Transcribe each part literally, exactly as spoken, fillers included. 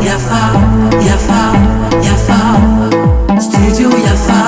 Yafa, yafa, yafa, studio Yafa.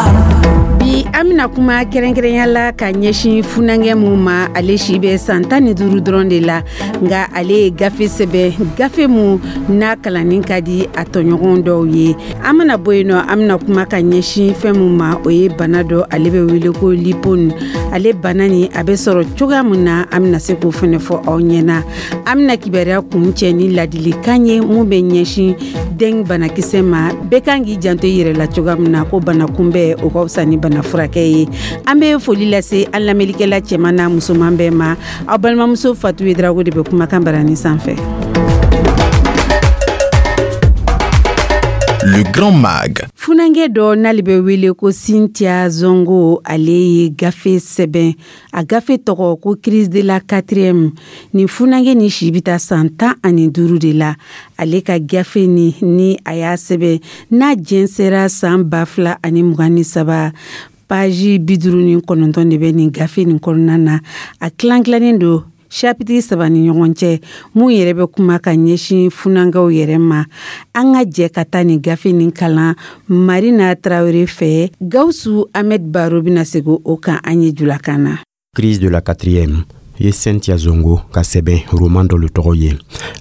Bi, an bɛna kuma kɛrɛnkɛrɛnya la ka ɲɛsin funankɛ mun ma. Ale si bɛ san tan ni duuru dɔrɔn de la, nka ale ye gafe sɛbɛn, gafe mun n'a kalanni ka di a tɔɲɔgɔn dɔw ye. An mana bɔ yen nɔ, an bɛna kuma ka ɲɛsin fɛn mun ma, o ye bana dɔ, ale bɛ wele ko lipone. Ale bana nin, a bɛ sɔrɔ cogoya mun na, an bɛna se k'o fɛnɛ fɔ aw ɲɛna. An bɛna kibaruya kun cɛ ni ladilikan ye mun bɛ ɲɛsin den banakisɛ ma. Bɛɛ kan k'i janto i yɛrɛ la cogoya min na, ko bana kunbɛn, o ka fisa ni bana furakɛ ye. An bɛ foli lase an lamɛnnikɛla cɛman n'a musoman bɛɛ ma. Aw balimamuso Fatu Yedrago de bɛ kumakan barani sanfɛ. Le Grand Mag. Funankɛ dɔ n'ale bɛ wele ko Cynthia Zongo, ale ye gafe sɛbɛn. A gafe tɔgɔ ko Crise de la quatrième. Nin funankɛ ni si bɛ taa san tan ani duuru de la. Ale ka gafe ni ni a y'a sɛbɛn n'a jɛnsɛra san ba fila ani mugan ni saba. Page bi duuru ni kɔnɔntɔn de bɛ nin gafe nin kɔnɔna na. A tilan tilannen don chapitre saba ni ɲɔgɔn cɛ, mun yɛrɛ bɛ kuma ka ɲɛsin funankɛw yɛrɛ ma. An ka jɛ ka taa nin gafe nin kalan Marina Tarawele fɛ. Gawusu Ahmed Baro bɛna segin o kan an ye julakan na. Crise de la quatrième ye Cynthia Zongo ka sɛbɛn roman dɔ le tɔgɔ ye.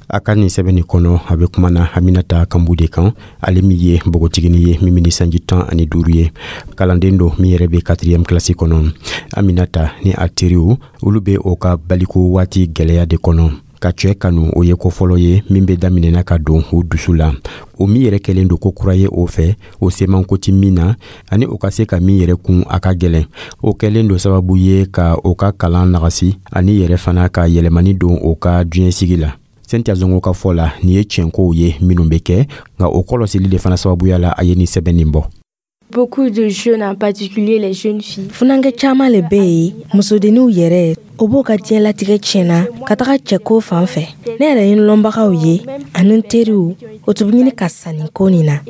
A ka nin sɛbɛn nin kɔnɔ, a bɛ kuma na Aminata Kanbu de kan, ale min ye npogotigini ye min ni sanji tan ani duuru ye, kalanden don min yɛrɛ bɛ quatrième kilasi kɔnɔ. Aminata ni a teriw, olu bɛ o ka baliko waati gwɛlɛya de kɔnɔ. Ka cɛɛ kanu, o ye ko fɔlɔ ye min bɛ daminɛna ka don o dusu la, o min yɛrɛ kɛlen don ko kura ye o fɛ, o semanko ti min na, ani o ka se ka min yɛrɛ kun, a ka gwɛlɛn. O kɛlen don sababu ye ka o ka kalan nagasi, ani yɛrɛ fana ka yɛlɛmani don o ka diɲɛsigi la. Cynthia Zongo ka fɔ la, nin ye tiɲɛkow ye minnu bɛ kɛ, nka o kɔlɔsili de fana sababuya la, a ye nin sɛbɛn nin bɔ. Beaucoup de jeunes, en particulier les jeunes filles. Funankɛ caman le bɛ yen, musodenninw yɛrɛ, o b'o ka diɲɛlatigɛ tiɲɛna ka taga cɛko fan fɛ. Ne yɛrɛ ye n lɔnbagaw ye ani n teriw, o tun bɛ ɲini ka sanni ko nin na.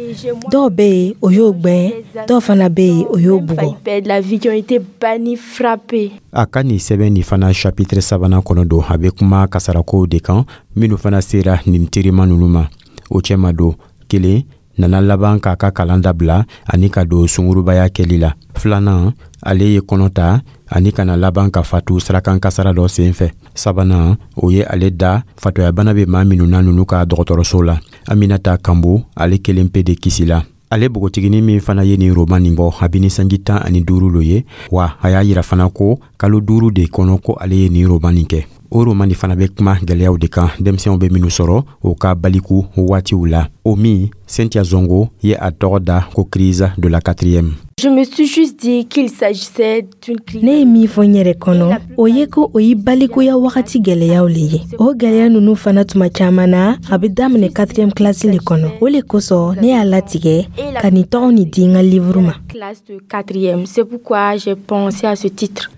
Dɔw bɛ yen, o y'o gwɛn, dɔw fana bɛ yen, o y'o bugɔ. Perdre la vie, qui ont été bannis, frappés. A ka nin sɛbɛn nin fana chapitre sabanan kɔnɔ don, a bɛ kuma kasarakow de kan minnu fana sera nin terima nunu ma. O cɛma don, kelen nana laban k'a ka kalan dabila ani ka don sungurubaya kɛli la. Filanan, ale ye kɔnɔ ta ani kana laban ka fatu sirakan kasara dɔ sen fɛ. Sabanan, o ye ale da fatɔyabana bɛ maa minnu na nunu ka dɔgɔtɔrɔso la. Aminata Kanbo, ale kelen pe de kisila. Ale bogotigini min fana ye nin roman nin bɔ, a bɛ ni sanji tan ani duuru lo ye wa. A y'a yira fana ko kalo duuru de kɔnɔ ko ale ye nin roman nin kɛ. O roman nin fana bɛ kuma gwɛlɛyaw de kan denmisɛnw bɛ minnu sɔrɔ o ka baliku waatiw la, o min Cynthia Zongo ye a tɔgɔ da ko Crise de la quatrième. Je me suis juste dit qu'il s'agissait d'une crise. Ne ye min fɔ n yɛrɛ kɔnɔ, o ye ko o ye balikuya wagati gwɛlɛyaw le ye. O gwɛlɛya nunu fana, tuma caman na, a bɛ daminɛ quatrième classe le kɔnɔ. O le kosɔn ne y'a latigɛ ka nin tɔgɔ nin di n ka livre ma. Classe de quatrième. C'est pourquoi j'ai pensé à ce titre.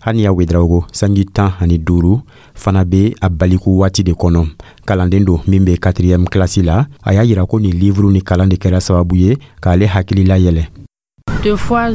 Haniya Wedraogo, sanji tan ani duuru, fana be a baliku waati de kɔnɔ. Kalanden don min be quatrième kilasi la. A y'a yira ko nin livre ni kalan de kɛra sababu ye k'ale hakilila yɛlɛ. Deux fois,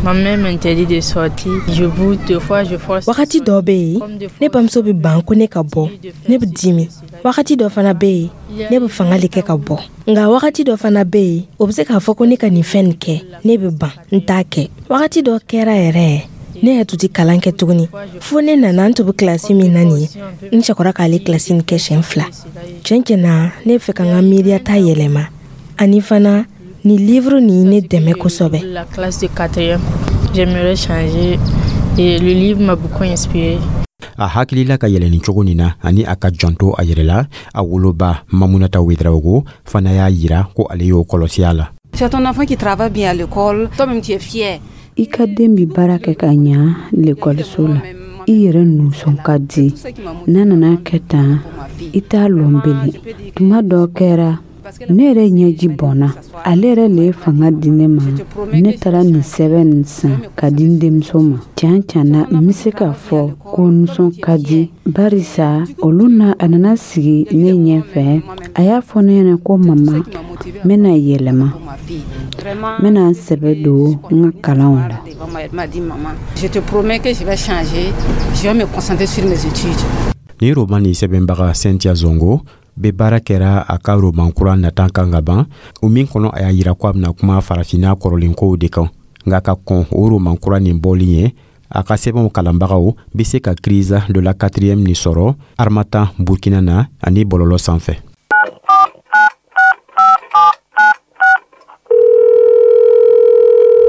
ma mère m'interdit de sortir. Je boude, deux fois, je force. Wagati dɔ bɛ yen, ne bamuso bɛ ban ko ne ka bɔ, ne bɛ dimi. Wagati dɔ fana bɛ yen, ne bɛ fanga de kɛ ka bɔ. Nka wagati dɔ fana bɛ yen, o bɛ se k'a fɔ ko ne ka nin fɛn nin kɛ, ne bɛ ban, n t'a kɛ. Wagati dɔ kɛra yɛrɛ, ne yɛrɛ tun tɛ kalan kɛ tuguni, fo ne nana n tun bɛ kilasi min na nin ye, n cɛkɔrɔ k'ale kilasi nin kɛ siɲɛ fila. Tiɲɛ tiɲɛ na, ne bɛ fɛ ka n ka miiriyata yɛlɛma, ani fana nin livre nin ye ne dɛmɛ kosɛbɛ. La classe de quatrième, j'aimerais changer et le livre m'a beaucoup inspiré. A hakilila ka yɛlɛni cogo nin na ani a ka janto a yɛrɛ la, a woloba Mamunata Wedraogo fana y'a yira ko ale y'o kɔlɔsi a la. Tu as ton enfant qui travaille bien à l'école, toi-même tu es fier. I ka den bi baara kɛ ka ɲa lekɔliso la, i yɛrɛ nusɔn ka di. N'a nana kɛ tan, i t'a lɔn belen. Tuma dɔ kɛra, ne yɛrɛ ɲɛji bɔnna. Ale yɛrɛ le ye fanga di ne ma, ne taara nin sɛbɛn nin san ka di n denmuso ma. Tiɲɛ tiɲɛ na, n bɛ se k'a fɔ ko nisɔn ka di, barisa olu na a nana sigi ne ɲɛfɛ, a y'a fɔ ne ɲɛna ko: "Mama, n bɛna yɛlɛma, n bɛna n sɛbɛ don n ka kalanw la." Elle m'a dit: "Maman, je te promets que je vais changer, je vais me concentrer sur mes études." Ni roman nin sɛbɛnbaga Cynthia Zongo bɛ baara kɛra a ka roman kura nata kan ka ban, o min kɔnɔ a y'a yira ko a bɛna kuma farafinna kɔrɔlenkow de kan. Nka ka kɔn o roman kura nin bɔli ɲɛ, a ka sɛbɛnw kalanbagaw bɛ se ka Crise de la quatrième nin sɔrɔ Harmattan Burkina na ani bɔlɔlɔ sanfɛ.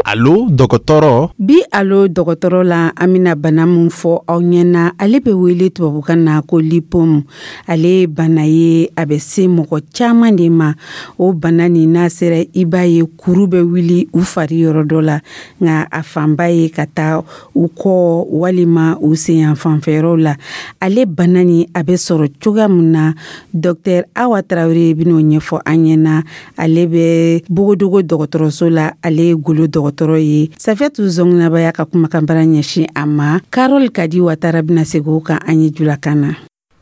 Alo dɔgɔtɔrɔ. Bi alo dɔgɔtɔrɔ la, an bɛna bana min fɔ aw ɲɛna, ale bɛ wele tubabukan na ko lipome. Ale ye bana ye, a bɛ se mɔgɔ caman de ma. O bana nin, n'a sera, i b'a ye kuru bɛ wuli u fari yɔrɔ dɔ la, nka a fanba ye ka taa u kɔ walima u sen yan fanfɛyɔrɔw la. Ale bana nin, a bɛ sɔrɔ cogoya min na, docteur Awa Tarawele bɛn'o ɲɛfɔ an ɲɛna. Ale bɛ Bogodogo dɔgɔtɔrɔso la, ale ye golo dɔgɔtɔrɔ ye. Safiyatu Zɔnginaba y'a ka kumakanbara ɲɛsin a ma. Karol Kadi Watara bɛna segin o kan an ye julakan na.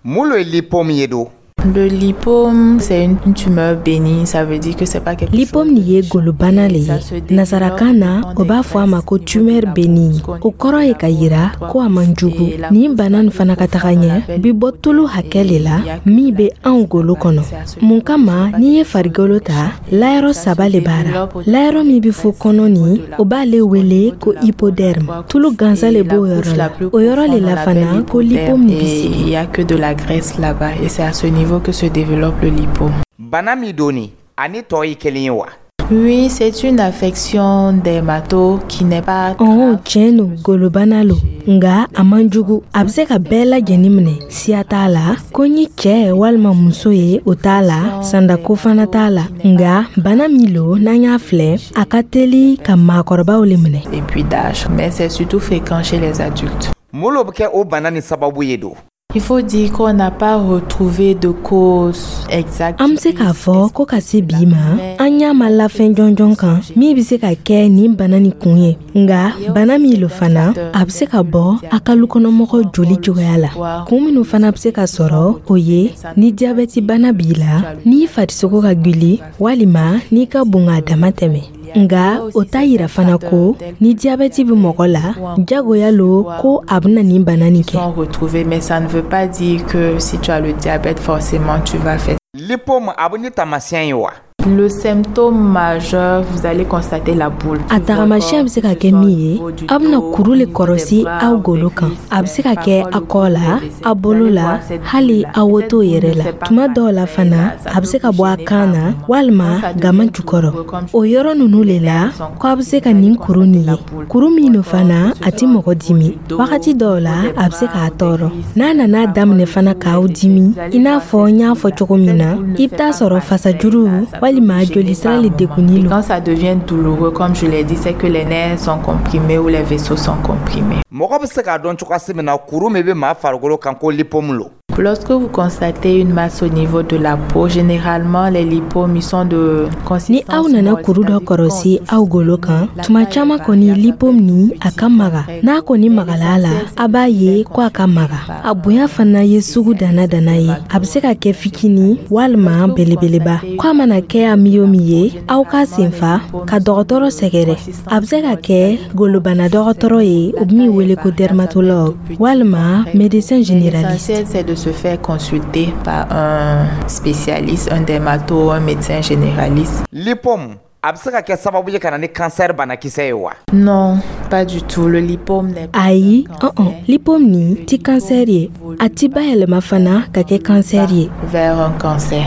Mun lo ye lipome ye don? Le lipome, c'est une tumeur bénigne, ça veut dire que c'est pas quelque Lipome nin ye golobana le ye. Nasarakan na, o b'a fɔ a ma ko tumeur bénigne. O kɔrɔ ye ka yira ko a man jugu. Nin bana nin fana ka taga ɲɛ bi bɔ tulu hakɛ le la min bɛ anw golo kɔnɔ. Mun kama, n'i ye farigolo ta, layɔrɔ saba le b'a ra. Layɔrɔ min bɛ fɔ kɔnɔ nin, o b'ale wele ko hypoderme. Tulu gansan le b'o yɔrɔ la. O yɔrɔ le la fana ko lipome nin bɛ sigi. Il y a que de la graisse là-bas et c'est à ce niveau que se développe le lipome. Bana min don nin, ani tɔ ye kelen ye wa? Oui, c'est une affection dermato qui n'est pas Ɔn, tiɲɛ don, golobana lo, nga a man jugu. A bɛ se ka bɛɛ lajɛlen minɛ, siya t'a la, ko ni cɛ walima muso ye, o t'a la, sandako fana t'a la. Nga bana min lo, n'an y'a filɛ, a ka teli ka maakɔrɔbaw le minɛ. Et puis d'âge, mais c'est surtout fréquent chez les adultes. Mun lo bɛ kɛ o bana nin sababu ye don? Il faut dire qu'on n'a pas retrouvé de cause exacte. An bɛ se k'a fɔ ko ka se bi ma, an ɲa ma lafɛn jɔnjɔn kan min bɛ se ka kɛ nin bana nin kun ye. Nga bana min lo fana, a bɛ se ka bɔ a ka lukɔnɔmɔgɔ joli cogoya la. Kun minnu fana bɛ se ka sɔrɔ, o ye ni jabɛti bana b'i la, n'i farisogo ka gwili, walima n'i ka bon k'a dama tɛmɛ. Nga o t'a yira fana ko ni jabɛti bɛ mɔgɔ la, jagoya lo ko a bɛna nin bana nin kɛ. Sont retrouvés, mais ça ne veut pas dire que si tu as le diabète, forcément tu vas faire. Lipome a bɛ ni taamasiyɛn ye wa? Le symptôme majeur, vous allez constater la boule. A tagamasiyɛn bɛ se ka kɛ min ye, aw bɛna kuru le kɔrɔsi aw golo kan. A bɛ se ka kɛ a kɔ la, a bolo la, hali a woto yɛrɛ la. Tuma dɔw la fana, a bɛ se ka bɔ a kan na walima gama jukɔrɔ. O yɔrɔ ninnu le la ko a bɛ se ka nin kuru nin ye. Kuru min don fana, a ti mɔgɔ dimi. Wagati dɔw la, a bɛ se k'a tɔɔrɔ. N'a nana daminɛ fana k'aw dimi, i n'a fɔ n y'a fɔ cogo min na, i bɛ taa sɔrɔ fasajuru walima joli sira le degunni lo. Quand ça devient douloureux, comme je l'ai dit, c'est que les nerfs sont comprimés ou les vaisseaux sont comprimés. Mɔgɔ bɛ se k'a dɔn cogoya min na kuru min bɛ maa farikolo kan ko lipome lo? Lorsque vous constatez une masse au niveau de la peau, généralement les lipomes ils sont de Ni aw nana kuru dɔ kɔrɔsi aw golo kan, tuma caman kɔni lipome ni a ka maga. N'a kɔni magala a la, a b'a ye ko a ka maga. A bonya fana ye sugu dana dana ye. A bɛ se ka kɛ fitinin walima belebeleba. Ko a mana kɛ a min o min ye, aw k'a senfa ka dɔgɔtɔrɔ sɛgɛrɛ. A bɛ se ka kɛ golobana dɔgɔtɔrɔ ye, o bɛ min wele ko dermatologue, walima médecin généraliste. L'essentiel, c'est de se faire consulter par un spécialiste, un dermato, un médecin généraliste. Lipome a bɛ se ka kɛ sababu ye ka na ni kansɛri banakisɛ ye wa? Non, pas du tout. Le lipome n'est pas. Ayi, ɔn, lipome nin ti kansɛri ye. A ti bayɛlɛma fana ka kɛ kansɛri ye. Vers un cancer.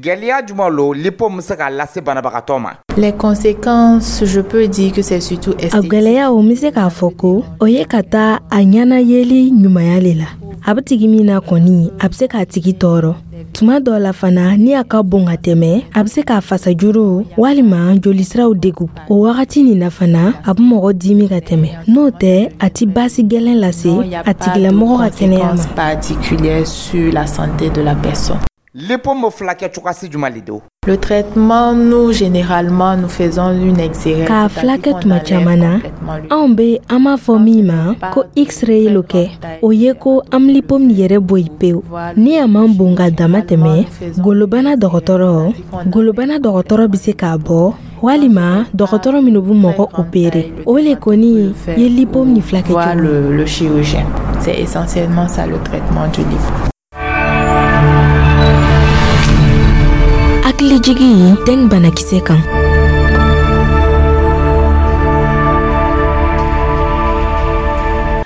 Gɛlɛya jumɛn lo lipome bɛ se k'a lase banabagatɔ ma? Les conséquences, je peux dire que c'est surtout A esthétique. gwɛlɛyaw, n bɛ se k'a fɔ ko o ye ka taa a ɲɛna yeli ɲumanya le la. A bɛ tigi min na kɔni, a bɛ se k'a tigi tɔɔrɔ. Tuma dɔw la fana, ni a ka bon ka tɛmɛ, a bɛ se k'a fasajuru walima jolisiraw degu. O wagati nin na fana, a bɛ mɔgɔ dimi ka tɛmɛ. N'o tɛ, a ti baasi gɛlɛn lase a tigilamɔgɔ ka kɛnɛya ma. Conséquences particulières sur la santé de la personne. Lipome bɛ fulakɛ cogoya jumɛn le don? Le traitement, nous, généralement, nous faisons une exérèse. K'a filakɛ tuma caman na, anw be an b'a fɔ min ma ko x-ray lo kɛ. O ye ko an bɛ lipome nin yɛrɛ bɔ yen pewu. Ni a man bon ka dama tɛmɛ, golobana dɔgɔtɔrɔ golobana dɔgɔtɔrɔ bɛ se k'a bɔ, walima dɔgɔtɔrɔ minnu bɛ mɔgɔ opere. O le kɔni ye lipome nin filakɛ Voir cogo. le, le chirurgien. C'est essentiellement ça le traitement du lipome. Hakilijigi dengue banakisɛ kan.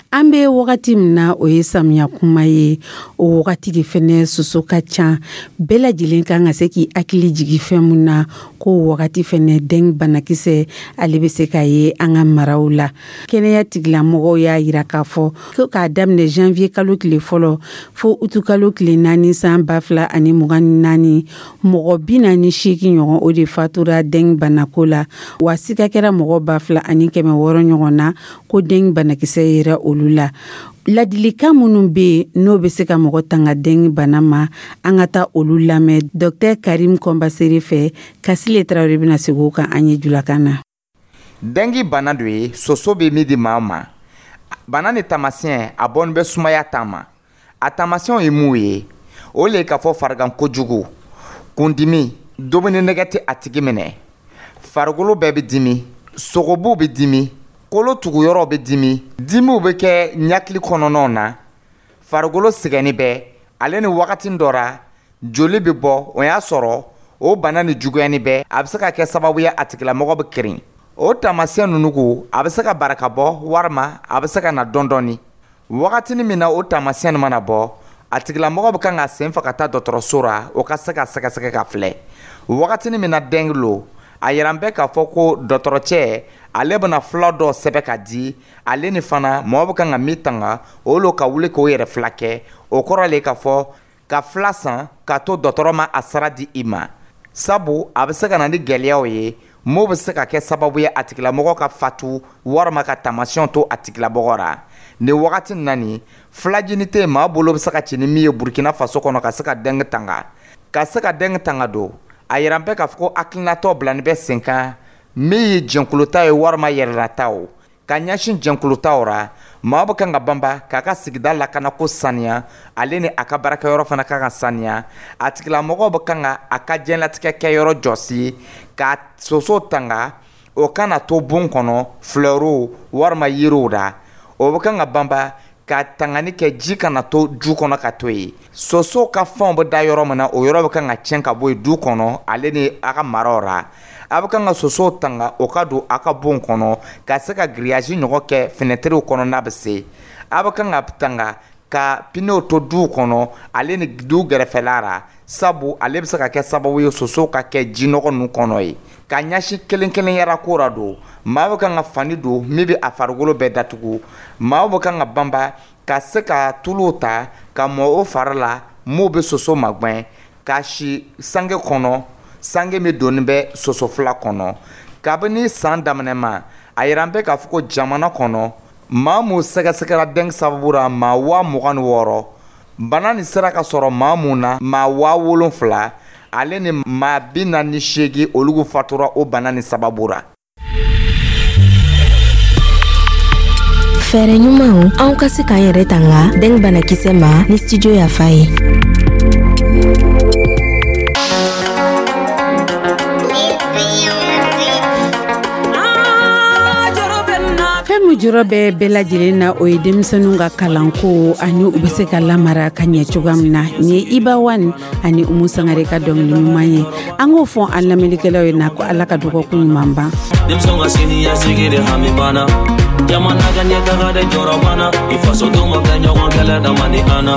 An bɛ wagati min na, o ye samiya kuma ye. O wagati de fɛnɛ soso ka ca. Bɛɛ lajɛlen kan ka se k'i hakili jigi fɛn mun na, ko wagati fɛnɛ dengue banakisɛ ale bɛ se ka ye an ka maraw la. Kɛnɛya tigilamɔgɔw y'a yira k'a fɔ ko k'a daminɛ janvier kalo tile fɔlɔ fo utu kalo tile naani san ba fila ani mugan ni naani, mɔgɔ bi naani seegin ɲɔgɔn o de fatura dengue banako la, wa sika kɛra mɔgɔ ba fila ani kɛmɛ wɔɔrɔ ɲɔgɔn na ko dengue banakisɛ yera olu la. Ladilikan minnu bɛ yen n'o bɛ se ka mɔgɔ tanga dengue bana ma, an ka taa olu lamɛn Docteur Karim Kɔnbasere fɛ. Kasile Tarawele bɛna segin o kan an ye julakan na. Dengue bana do ye soso bɛ min di maa ma. Bana ni taamasiyɛn a bɔnin bɛ sumaya ta ma. A taamasiyɛnw ye mun ye? O le ye k'a fɔ farigan kojugu, kundimi, dumuni nɛgɛ tɛ a tigi minɛ, farikolo bɛɛ bɛ dimi, sogobuw bɛ dimi, kolo tuguyɔrɔw bɛ dimi, dimiw bɛ kɛ ɲakili kɔnɔnaw na, farikolo sɛgɛnni bɛ, ale ni wagati dɔ ra joli bɛ bɔ. O y'a sɔrɔ o bana ni juguyani bɛ, a bɛ se ka kɛ sababu ye a tigilamɔgɔ bɛ kirin. O taamasiyɛn ninnu ko a bɛ se ka baraka bɔ, walima a bɛ se ka na dɔɔni dɔɔni. Wagatinin min na o taamasiyɛn mana bɔ, a tigilamɔgɔ bɛ kan ka sen fa ka taa dɔgɔtɔrɔso ra, o ka se ka sɛgɛsɛgɛ ka filɛ. Wagatinin min na dengue lo, a yira bɛ k'a fɔ ko dɔgɔtɔrɔcɛ ale bɛna fura dɔ sɛbɛn ka di ale ni fana mɔgɔ bɛ kan ka min tanga o lo ka wuli k'o yɛrɛ fila kɛ. O kɔrɔ le k'a fɔ ka fila san k'a to dɔgɔtɔrɔ ma a sara di i ma, sabu a bɛ se ka na ni gɛlɛyaw ye m'o bɛ se ka kɛ sababu ye a tigilamɔgɔ ka fatu walima ka taamasiyɛnw to a tigilamɔgɔ ra. Nin wagati na nin filajini tɛ yen maa bolo bɛ se ka ci ni min ye Burkina Faso kɔnɔ ka se ka dengue tanga. Ka se ka dengue tanga don, a yira bɛ k'a fɔ ko hakilinatɔ bilani bɛ sen kan min ye jɛnkulota ye walima yɛrɛlata o. Ka ɲɛsin jɛnkulutaw ra, maa bɛ kan ka banba k'a ka sigida lakanako saniya, ale ni a ka baarakɛyɔrɔ fana kan ka saniya. A tigilamɔgɔ bɛ kan ka a ka diɲɛlatigɛ kɛyɔrɔ jɔsi ka soso tanga, o kana to bon kɔnɔ flɛriw walima yiriw ra. O bɛ kan ka banba ka tangani kɛ ji kana to du kɔnɔ ka to yen. Soso ka fɛnw bɛ da yɔrɔ min na, o yɔrɔ bɛ kan ka tiɲɛ ka bɔ yen du kɔnɔ ale ni a ka maraw ra. A bɛ kan ka soso tanga o ka don a ka bon kɔnɔ ka se ka grillage ɲɔgɔn kɛ fenɛtiriw kɔnɔ n'a bɛ se. A bɛ kan ka tanga ka pneus to duw kɔnɔ ale ni du gɛrɛfɛla ra, sabu ale bɛ se ka kɛ sababu ye soso ka kɛ jinɔgɔ ninnu kɔnɔ ye. Ka ɲɛsin kelen kelen yɛrɛ ko ra don, maa bɛ kan ka fani don min bɛ a farikolo bɛɛ datugu. Maa bɛ kan ka banba ka se ka tuluw ta ka mɔ o fari la m'o bɛ soso magɛn, ka si sange kɔnɔ, sange min donni bɛ soso fila kɔnɔ. Kabini san daminɛ ma, a yira bɛ k'a fɔ ko jamana kɔnɔ maa mun sɛgɛsɛgɛra dengue sababu ra maa waa mugan ni wɔɔrɔ, bana nin sera ka sɔrɔ maa mun na maa waa wolonfila, ale ni maa bi naani ni seegin olu fatura o bana nin sababu ra. Fɛɛrɛ ɲumanw anw ka se k'an yɛrɛ tanga dengue banakisɛ ma ni studio Yafa ye. Fɛn min jɔrɔ bɛ bɛɛ lajɛlen na, o ye denmisɛnninw ka kalanko ani u bɛ se ka lamara ka ɲɛ cogoya min na. Nin ye Iba One ani Umu Sangare ka dɔnkili ɲuman ye. An k'o fɔ an lamɛnnikɛlaw ye na ko Ala ka dɔgɔkun ɲuman ban. Denmisɛnw ka siniɲɛsigi de hami banna, jamana ka ɲɛtaga de jɔrɔ banna, i fasodenw ma kɛ ɲɔgɔn kɛlɛ dama ni an na.